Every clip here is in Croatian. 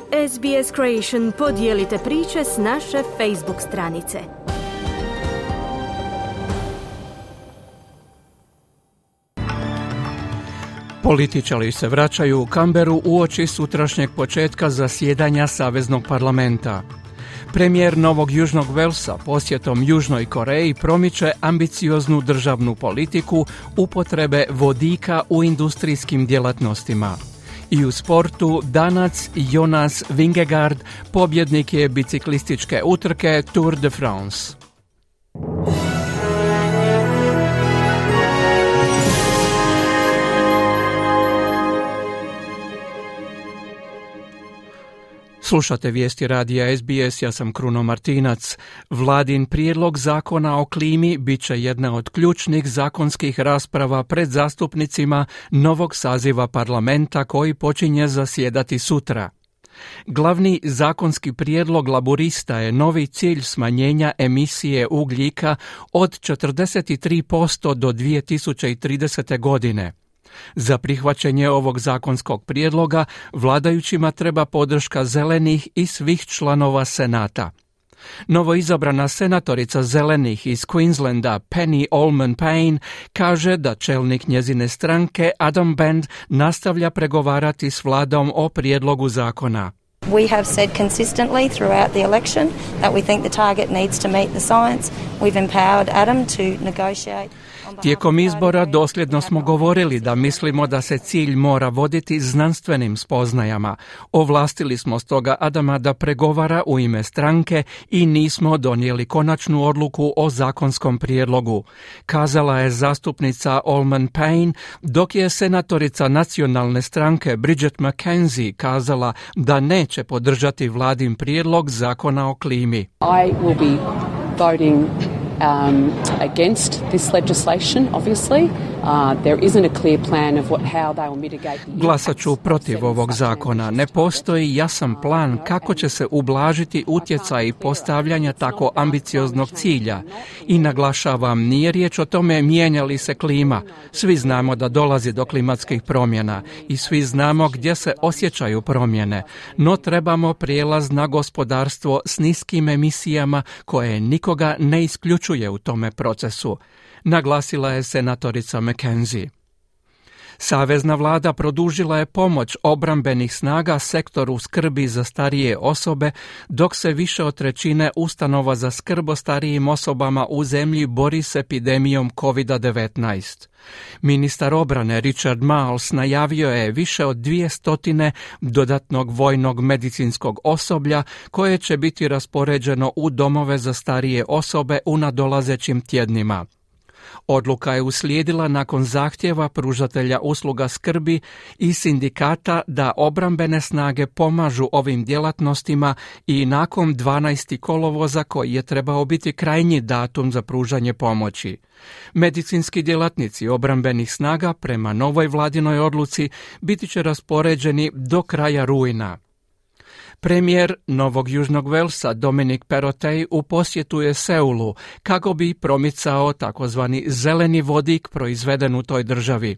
SBS Creation podijelite priče s naše Facebook stranice. Političari se vraćaju u Canberru uoči sutrašnjeg početka zasjedanja Saveznog parlamenta. Premijer Novog Južnog Velsa posjetom Južnoj Koreji promiče ambicioznu državnu politiku upotrebe vodika u industrijskim djelatnostima. I u sportu Danac Jonas Vingegaard pobjednik je biciklističke utrke Tour de France. Slušate vijesti radija SBS, ja sam Kruno Martinac. Vladin prijedlog zakona o klimi bit će jedna od ključnih zakonskih rasprava pred zastupnicima novog saziva parlamenta koji počinje zasjedati sutra. Glavni zakonski prijedlog laburista je novi cilj smanjenja emisije ugljika od 43% do 2030. godine. Za prihvaćanje ovog zakonskog prijedloga vladajućima treba podrška zelenih i svih članova Senata. Novoizabrana senatorica zelenih iz Queenslanda Penny Allman-Payne kaže da čelnik njezine stranke Adam Band nastavlja pregovarati s vladom o prijedlogu zakona. We have said consistently throughout the election that we think the target needs to meet the science. We've empowered Adam to negotiate. Tijekom izbora dosljedno smo govorili da mislimo da se cilj mora voditi znanstvenim spoznajama. Ovlastili smo stoga Adama da pregovara u ime stranke i nismo donijeli konačnu odluku o zakonskom prijedlogu, kazala je zastupnica Allman-Payne, dok je senatorica nacionalne stranke Bridget McKenzie kazala da neće podržati vladin prijedlog zakona o klimi. I will be voting against this legislation, obviously. There isn't a clear plan of how they will mitigate the Glasat ću protiv ovog zakona. Ne postoji jasan plan kako će se ublažiti utjecaj postavljanja tako ambicioznog cilja. I naglašavam, nije riječ o tome mijenja li se klima. Svi znamo da dolazi do klimatskih promjena i svi znamo gdje se osjećaju promjene. No trebamo prijelaz na gospodarstvo s niskim emisijama koje nikoga ne isključuje u tome procesu, naglasila je senatorica McKenzie. Savezna vlada produžila je pomoć obrambenih snaga sektoru skrbi za starije osobe, dok se više od trećine ustanova za skrb o starijim osobama u zemlji bori s epidemijom COVID-19. Ministar obrane Richard Marles najavio je više od 200 dodatnog vojnog medicinskog osoblja koje će biti raspoređeno u domove za starije osobe u nadolazećim tjednima. Odluka je uslijedila nakon zahtjeva pružatelja usluga skrbi i sindikata da obrambene snage pomažu ovim djelatnostima i nakon 12. kolovoza koji je trebao biti krajnji datum za pružanje pomoći. Medicinski djelatnici obrambenih snaga prema novoj vladinoj odluci biti će raspoređeni do kraja rujna. Premijer Novog Južnog Velsa Dominic Perrottet u posjetu je Seulu kako bi promicao takozvani zeleni vodik proizveden u toj državi.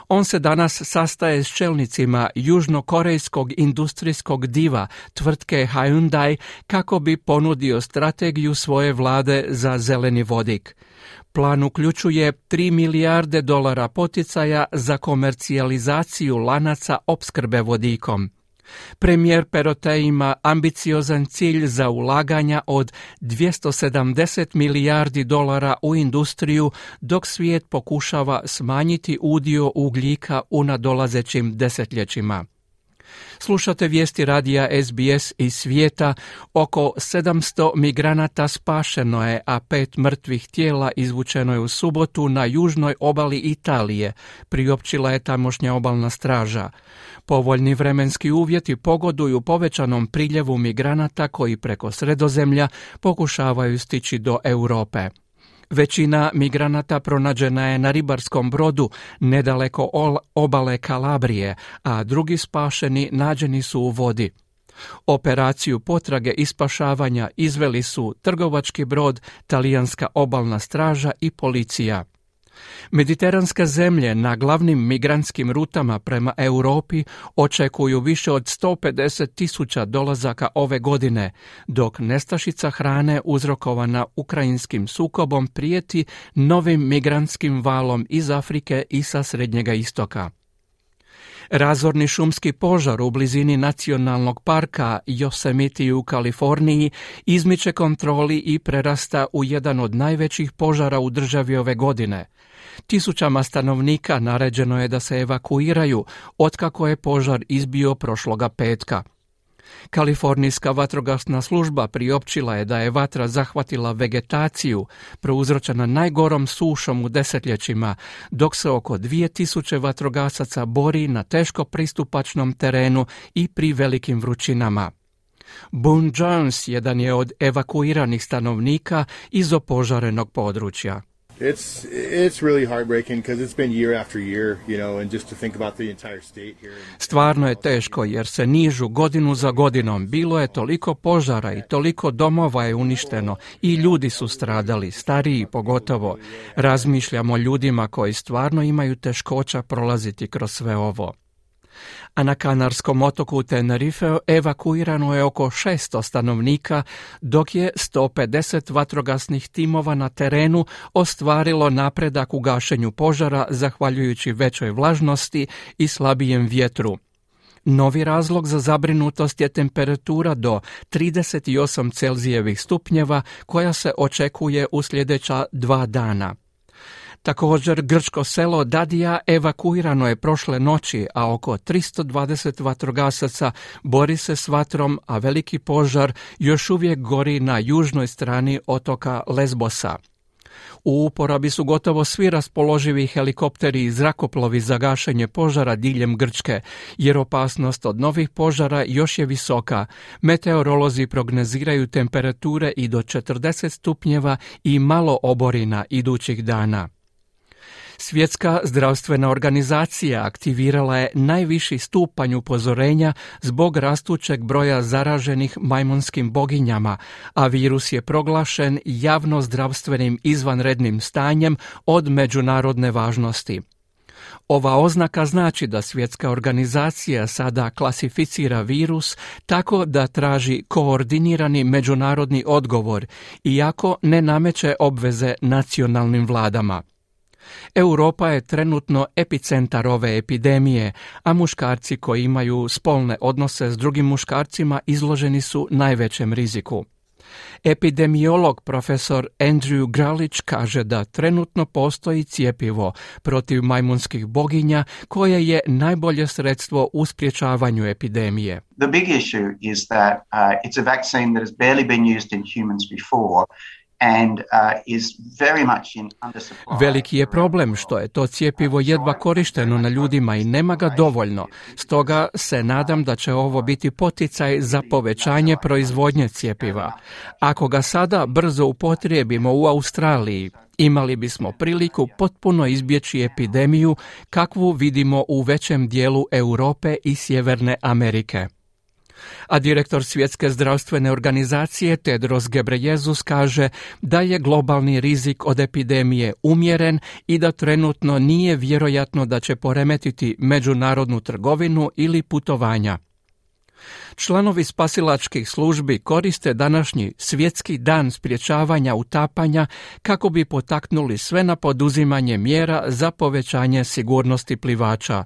On se danas sastaje s čelnicima južnokorejskog industrijskog diva tvrtke Hyundai kako bi ponudio strategiju svoje vlade za zeleni vodik. Plan uključuje $3 milijarde poticaja za komercijalizaciju lanaca opskrbe vodikom. Premijer Perrottet ima ambiciozan cilj za ulaganja od $270 milijardi u industriju, dok svijet pokušava smanjiti udio ugljika u nadolazećim desetljećima. Slušate vijesti radija SBS iz svijeta. Oko 700 migranata spašeno je, a 5 mrtvih tijela izvučeno je u subotu na južnoj obali Italije, priopćila je tamošnja obalna straža. Povoljni vremenski uvjeti pogoduju povećanom priljevu migranata koji preko Sredozemlja pokušavaju stići do Europe. Većina migranata pronađena je na ribarskom brodu nedaleko obale Kalabrije, a drugi spašeni nađeni su u vodi. Operaciju potrage i spašavanja izveli su trgovački brod, talijanska obalna straža i policija. Mediteranske zemlje na glavnim migrantskim rutama prema Europi očekuju više od 150.000 dolazaka ove godine, dok nestašica hrane uzrokovana ukrajinskim sukobom prijeti novim migrantskim valom iz Afrike i sa Srednjega istoka. Razorni šumski požar u blizini nacionalnog parka Yosemite u Kaliforniji izmiče kontroli i prerasta u jedan od najvećih požara u državi ove godine. Tisućama stanovnika naređeno je da se evakuiraju otkako je požar izbio prošloga petka. Kalifornijska vatrogasna služba priopćila je da je vatra zahvatila vegetaciju, prouzročena najgorom sušom u desetljećima, dok se oko 2000 vatrogasaca bori na teško pristupačnom terenu i pri velikim vrućinama. Boone Jones jedan je od evakuiranih stanovnika iz opožarenog područja. It's really heartbreaking because it's been year after year, and just to think about the entire state here. Stvarno je teško jer se nižu godinu za godinom. Bilo je toliko požara i toliko domova je uništeno i ljudi su stradali, stariji pogotovo. Razmišljamo o ljudima koji stvarno imaju teškoća prolaziti kroz sve ovo. A na kanarskom otoku Tenerife evakuirano je oko 600 stanovnika, dok je 150 vatrogasnih timova na terenu ostvarilo napredak u gašenju požara zahvaljujući većoj vlažnosti i slabijem vjetru. Novi razlog za zabrinutost je temperatura do 38 Celzijevih stupnjeva koja se očekuje u sljedeća 2 dana. Također, grčko selo Dadija evakuirano je prošle noći, a oko 320 vatrogasaca bori se s vatrom, a veliki požar još uvijek gori na južnoj strani otoka Lesbosa. U uporabi su gotovo svi raspoloživi helikopteri i zrakoplovi za gašenje požara diljem Grčke, jer opasnost od novih požara još je visoka. Meteorolozi prognoziraju temperature i do 40 stupnjeva i malo oborina idućih dana. Svjetska zdravstvena organizacija aktivirala je najviši stupanj upozorenja zbog rastućeg broja zaraženih majmunskim boginjama, a virus je proglašen javno zdravstvenim izvanrednim stanjem od međunarodne važnosti. Ova oznaka znači da svjetska organizacija sada klasificira virus tako da traži koordinirani međunarodni odgovor, iako ne nameće obveze nacionalnim vladama. Europa je trenutno epicentar ove epidemije, a muškarci koji imaju spolne odnose s drugim muškarcima izloženi su najvećem riziku. Epidemiolog profesor Andrew Gralić kaže da trenutno postoji cjepivo protiv majmunskih boginja koje je najbolje sredstvo u sprječavanju epidemije. The big issue is that it's a vaccine that has barely been used in humans before. Veliki je problem što je to cjepivo jedva korišteno na ljudima i nema ga dovoljno. Stoga se nadam da će ovo biti poticaj za povećanje proizvodnje cjepiva. Ako ga sada brzo upotrijebimo u Australiji, imali bismo priliku potpuno izbjeći epidemiju kakvu vidimo u većem dijelu Europe i Sjeverne Amerike. A direktor Svjetske zdravstvene organizacije Tedros Ghebreyesus kaže da je globalni rizik od epidemije umjeren i da trenutno nije vjerojatno da će poremetiti međunarodnu trgovinu ili putovanja. Članovi spasilačkih službi koriste današnji Svjetski dan sprječavanja utapanja kako bi potaknuli sve na poduzimanje mjera za povećanje sigurnosti plivača.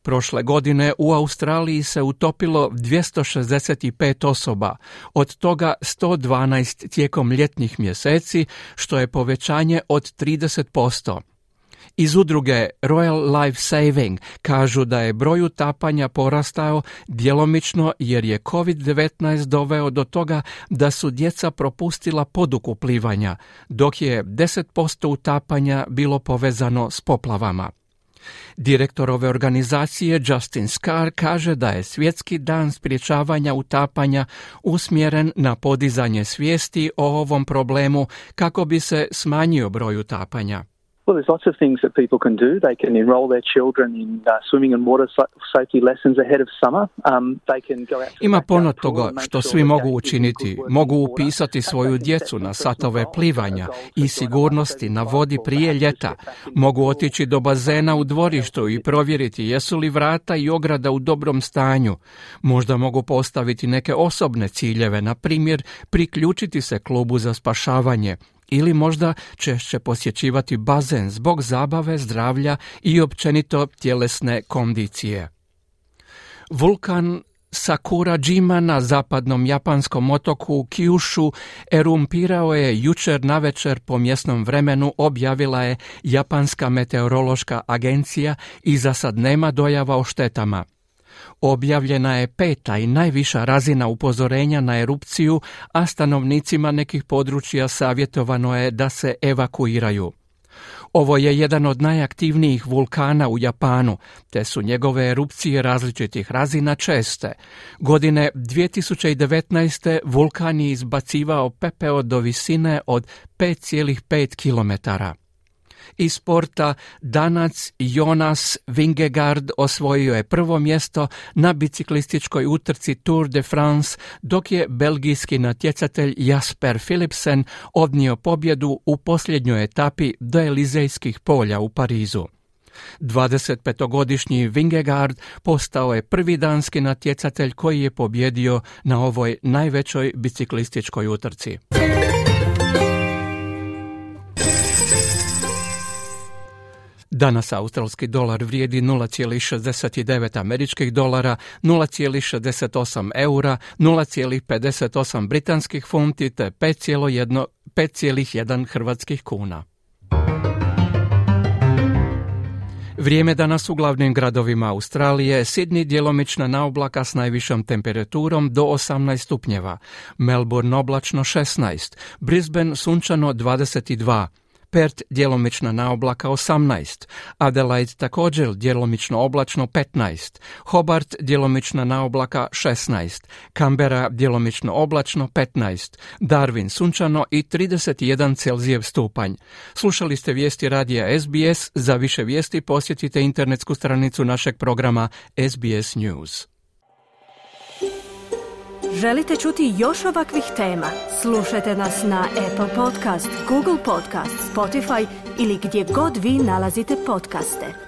Prošle godine u Australiji se utopilo 265 osoba, od toga 112 tijekom ljetnih mjeseci, što je povećanje od 30%. Iz udruge Royal Life Saving kažu da je broj utapanja porastao djelomično jer je COVID-19 doveo do toga da su djeca propustila poduku plivanja, dok je 10% utapanja bilo povezano s poplavama. Direktor ove organizacije Justin Scar kaže da je Svjetski dan sprječavanja utapanja usmjeren na podizanje svijesti o ovom problemu kako bi se smanjio broj utapanja. Well, there's lots of things that people can do. They can enroll their children in swimming and water safety lessons ahead of summer. They can go out. Ima puno toga što svi mogu učiniti. Mogu upisati svoju djecu na satove plivanja i sigurnosti na vodi prije ljeta. Mogu otići do bazena u dvorištu i provjeriti jesu li vrata i ograda u dobrom stanju. Možda mogu postaviti neke osobne ciljeve, na primjer priključiti se klubu za spašavanje, ili možda češće posjećivati bazen zbog zabave, zdravlja i općenito tjelesne kondicije. Vulkan Sakurajima na zapadnom japanskom otoku Kyushu erumpirao je jučer navečer po mjesnom vremenu, objavila je Japanska meteorološka agencija, i za sad nema dojava o štetama. Objavljena je 5. i najviša razina upozorenja na erupciju, a stanovnicima nekih područja savjetovano je da se evakuiraju. Ovo je jedan od najaktivnijih vulkana u Japanu, te su njegove erupcije različitih razina česte. Godine 2019. vulkan je izbacivao pepeo do visine od 5,5 kilometara. Iz sporta Danac Jonas Vingegaard osvojio je prvo mjesto na biciklističkoj utrci Tour de France, dok je belgijski natjecatelj Jasper Philipsen odnio pobjedu u posljednjoj etapi do Elizejskih polja u Parizu. 25-godišnji Vingegaard postao je prvi danski natjecatelj koji je pobjedio na ovoj najvećoj biciklističkoj utrci. Danas australski dolar vrijedi 0,69 američkih dolara, 0,68 eura, 0,58 britanskih funti te 5,1 hrvatskih kuna. Vrijeme danas u glavnim gradovima Australije: Sydney djelomična naoblaka s najvišom temperaturom do 18 stupnjeva, Melbourne oblačno 16, Brisbane sunčano 22, Perth djelomična naoblaka 18, Adelaide također djelomično oblačno 15, Hobart djelomična naoblaka 16, Canberra djelomično oblačno 15, Darwin sunčano i 31 Celzijev stupanj. Slušali ste vijesti radija SBS. Za više vijesti posjetite internetsku stranicu našeg programa SBS News. Želite čuti još ovakvih tema? Slušajte nas na Apple Podcast, Google Podcast, Spotify ili gdje god vi nalazite podcaste.